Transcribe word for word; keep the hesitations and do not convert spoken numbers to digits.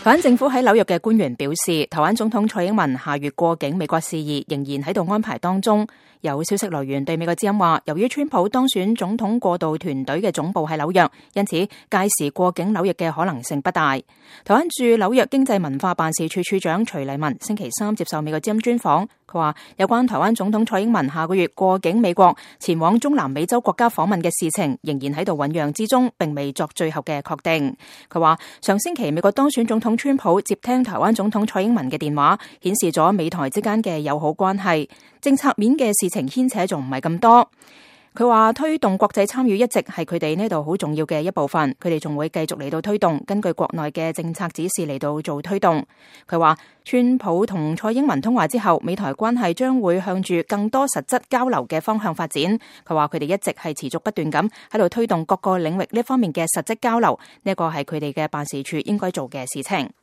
台灣政府喺紐約嘅官員表示，台灣總統蔡英文下月過境美國事宜仍然喺度安排當中。有消息來源對美國之音話，由於川普當選總統過渡團隊嘅總部喺紐約，因此屆時過境紐約嘅可能性不大。台灣駐紐約經濟文化辦事處處長徐麗文星期三接受美國之音專訪，佢話有關台灣總統蔡英文下個月過境美國前往中南美洲國家訪問嘅事情仍然喺度醞釀之中，並未作最後嘅確定。佢話上星期美國當選總統川普接聽台灣總統蔡英文嘅電話，顯示咗美台之間嘅友好關係，政策面嘅事情牽扯仲唔係咁多。佢話推動國際參與一直係佢哋呢度好重要嘅一部分，佢哋仲會繼續嚟到推動，根據國內嘅政策指示嚟到做推動。佢話川普同蔡英文通話之後，美台關係將會向住更多實質交流嘅方向發展。佢話佢哋一直係持續不斷咁喺度推動各個領域呢方面嘅實質交流，呢個係佢哋嘅辦事處應該做嘅事情。